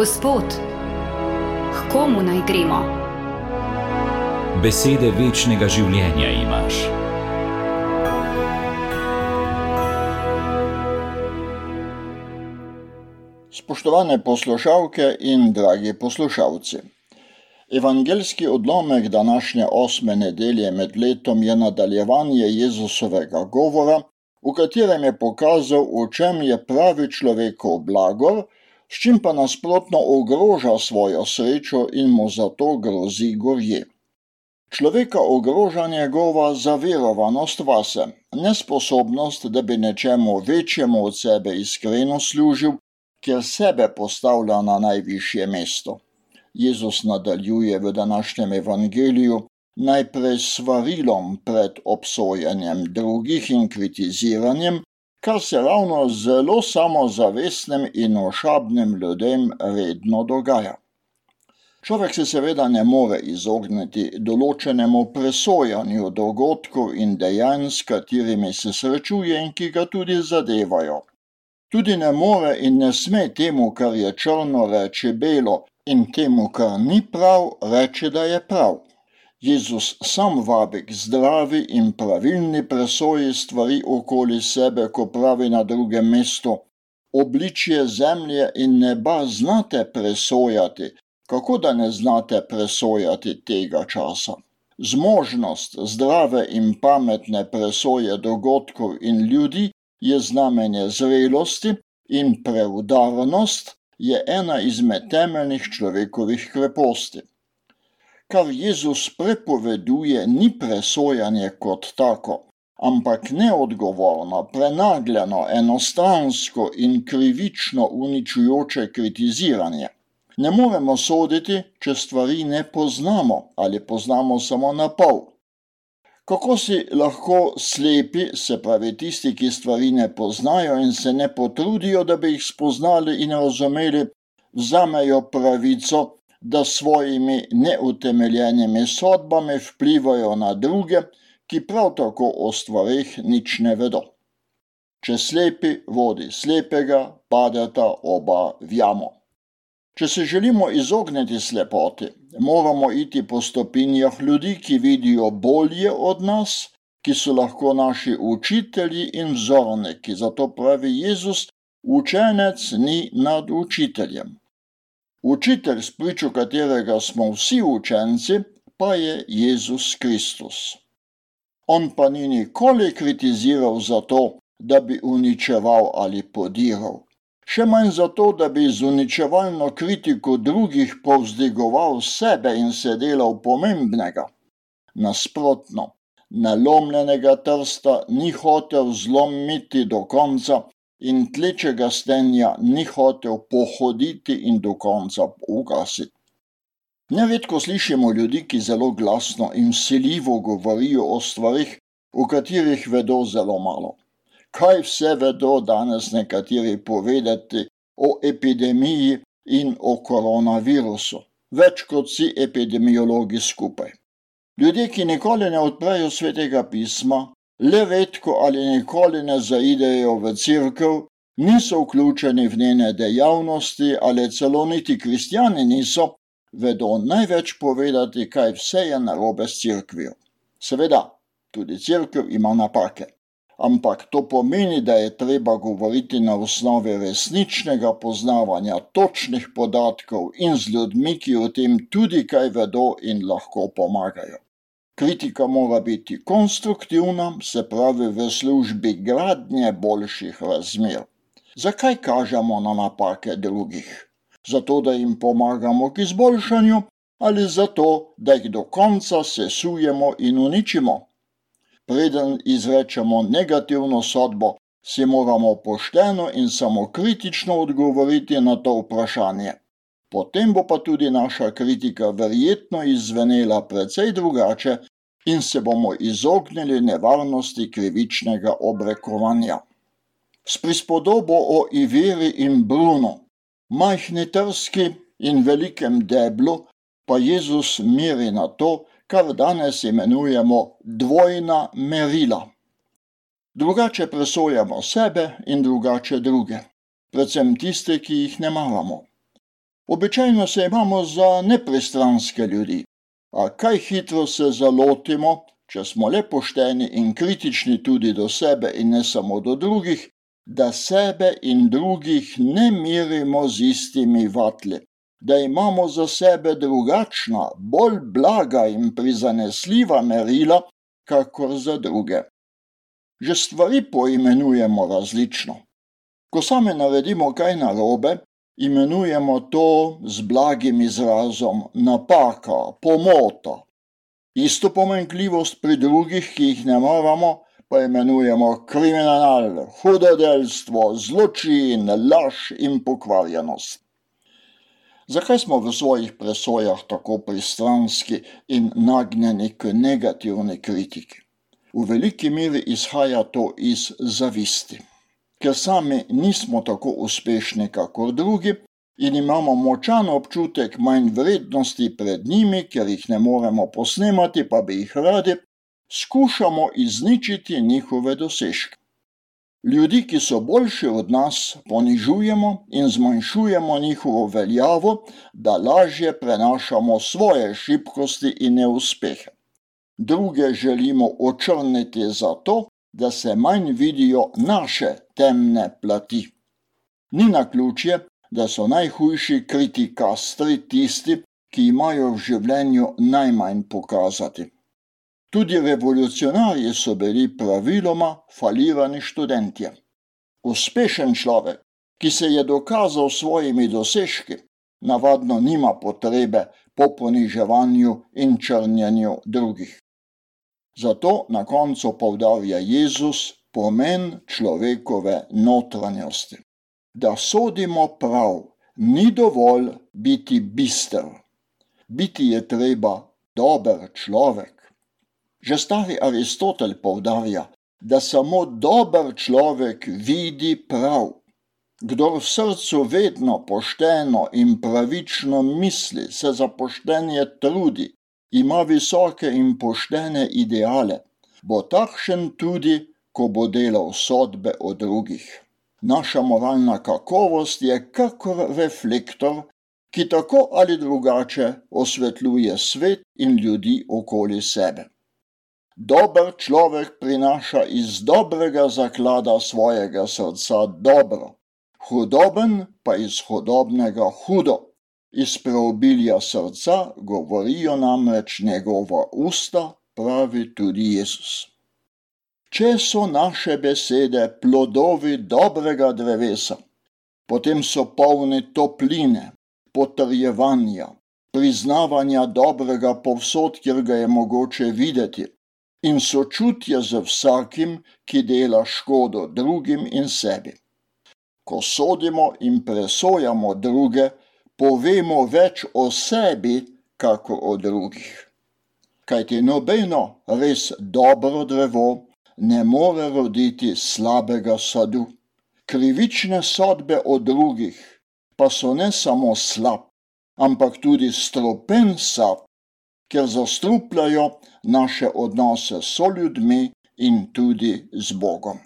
Gospod, k komu naj gremo? Besede večnega življenja imaš. Spoštovane poslušalke in dragi poslušalci. Evangeljski odlomek današnje 8. nedelje med letom je nadaljevanje Jezusovega govora, v katerem je pokazal, v čem je pravi človekov blagor, s čim pa nasprotno ogroža svojo srečo in mu zato grozi gorje. Človeka ogroža njegova zaverovanost vase, nesposobnost, da bi nečemu večjemu od sebe iskreno služil, ker sebe postavlja na najvišje mesto. Jezus nadaljuje v današnjem evangeliju najprej s svarilom pred obsojanjem drugih in kritiziranjem, kar se ravno zelo samozavestnim in ošabnim ljudem redno dogaja. Človek se seveda ne more izogniti določenemu presojanju dogodkov in dejanj, s katerimi se srečuje in ki ga tudi zadevajo. Tudi ne more in ne sme temu, kar je črno, reči belo, in temu, kar ni prav, reči, da je prav. Jezus sam vabi k zdravi in pravilni presoji stvari okoli sebe, ko pravi na drugem mestu: obličje zemlje in neba znate presojati, kako da ne znate presojati tega časa? Zmožnost zdrave in pametne presoje dogodkov in ljudi je znamenje zrelosti in preudarnost je ena izmed temeljnih človekovih kreposti. Kar Jezus prepoveduje, ni presojanje kot tako, ampak neodgovorno, prenagljeno, enostransko in krivično uničujoče kritiziranje. Ne moremo soditi, če stvari ne poznamo ali poznamo samo na pol. Kako si lahko slepi, se pravi tisti, ki stvari ne poznajo in se ne potrudijo, da bi jih spoznali in razumeli, vzamejo pravico, da svojimi neutemeljenimi sodbami vplivajo na druge, ki prav tako o stvareh nič ne vedo. Če slepi vodi slepega, padeta oba v jamo. Če se želimo izogniti slepoti, moramo iti po stopinjah ljudi, ki vidijo bolje od nas, ki so lahko naši učitelji in vzorniki. Zato pravi Jezus, učenec ni nad učiteljem. Učitelj, spričo katerega smo vsi učenci, pa je Jezus Kristus. On pa ni nikoli kritiziral zato, da bi uničeval ali podiral. Še manj zato, da bi z uničevalno kritiko drugih povzdigoval sebe in se delal pomembnega. Nasprotno, nalomljenega trsta ni hotel zlomiti do konca in tlečega stenja ni hotel pohoditi in do konca ugasiti. Neredko slišimo ljudi, ki zelo glasno in vsiljivo govorijo o stvarih, o katerih vedo zelo malo. Kaj vse vedo danes nekateri povedati o epidemiji in o koronavirusu? Več kot vsi epidemiologi skupaj. Ljudje, ki nikoli ne odprejo Svetega pisma, le redko ali nikoli ne zaidejo v cerkev, niso vključeni v njene dejavnosti ali celo niti kristjani niso, vedo največ povedati, kaj vse je narobe s cerkvijo. Seveda, tudi cerkev ima napake. Ampak to pomeni, da je treba govoriti na osnovi resničnega poznavanja točnih podatkov in z ljudmi, ki o tem tudi kaj vedo in lahko pomagajo. Kritika mora biti konstruktivna, se pravi v službi gradnje boljših razmer. Zakaj kažemo na napake drugih? Zato, da jim pomagamo k izboljšanju ali zato, da jih do konca sesujemo in uničimo? Preden izrečemo negativno sodbo, si moramo pošteno in samokritično odgovoriti na to vprašanje. Potem bo pa tudi naša kritika verjetno izzvenela precej drugače in se bomo izognili nevarnosti krivičnega obrekovanja. S prispodobo o Iveri in Brunu, majhni trski in velikem deblu, pa Jezus meri na to, kar danes imenujemo dvojna merila. Drugače presojamo sebe in drugače druge, predvsem tiste, ki jih ne maramo. Običajno se imamo za nepristranske ljudi, a kaj hitro se zalotimo, če smo le pošteni in kritični tudi do sebe in ne samo do drugih, da sebe in drugih ne merimo z istimi vatli, da imamo za sebe drugačna, bolj blaga in prizanesljiva merila, kakor za druge. Že stvari poimenujemo različno. Ko sami naredimo kaj narobe, imenujemo to z blagim izrazom napaka, pomota. Isto pomanjkljivost pri drugih, ki jih ne maramo, pa imenujemo kriminal, hudodelstvo, zločin, laž in pokvarjenost. Zakaj smo v svojih presojah tako pristranski in nagnjeni k negativni kritiki? V veliki meri izhaja to iz zavisti. Ker sami nismo tako uspešni kakor drugi in imamo močan občutek manj vrednosti pred njimi, ker jih ne moremo posnemati, pa bi jih radi, skušamo izničiti njihove dosežke. Ljudi, ki so boljši od nas, ponižujemo in zmanjšujemo njihovo veljavo, da lažje prenašamo svoje šibkosti in neuspehe. Druge želimo očrniti zato, da se manj vidijo naše temne plati. Ni naključje, da so najhujši kritikastri tisti, ki imajo v življenju najmanj pokazati. Tudi revolucionarji so bili praviloma falirani študentje. Uspešen človek, ki se je dokazal s svojimi dosežki, navadno nima potrebe po poniževanju in črnjenju drugih. Zato na koncu poudarja Jezus pomen človekove notranjosti. Da sodimo prav, ni dovolj biti bister. Biti je treba dober človek. Že stari Aristotel poudarja, da samo dober človek vidi prav. Kdor v srcu vedno pošteno in pravično misli, se za poštenje trudi, ima visoke in poštene ideale, bo takšen tudi, ko bo delal sodbe o drugih. Naša moralna kakovost je kakor reflektor, ki tako ali drugače osvetljuje svet in ljudi okoli sebe. Dober človek prinaša iz dobrega zaklada svojega srca dobro, hudoben pa iz hudobnega hudo. Iz preobilja srca govorijo namreč njegova usta, pravi tudi Jezus. Če so naše besede plodovi dobrega drevesa, potem so polni topline, potrjevanja, priznavanja dobrega povsod, kjer ga je mogoče videti, in sočutja z vsakim, ki dela škodo drugim in sebi. Ko sodimo in presojamo druge, povemo več o sebi, kako o drugih. Kajti nobeno res dobro drevo ne more roditi slabega sadu. Krivične sodbe o drugih pa so ne samo slab, ampak tudi stropen sad, ker zastrupljajo naše odnose s soljudmi in tudi z Bogom.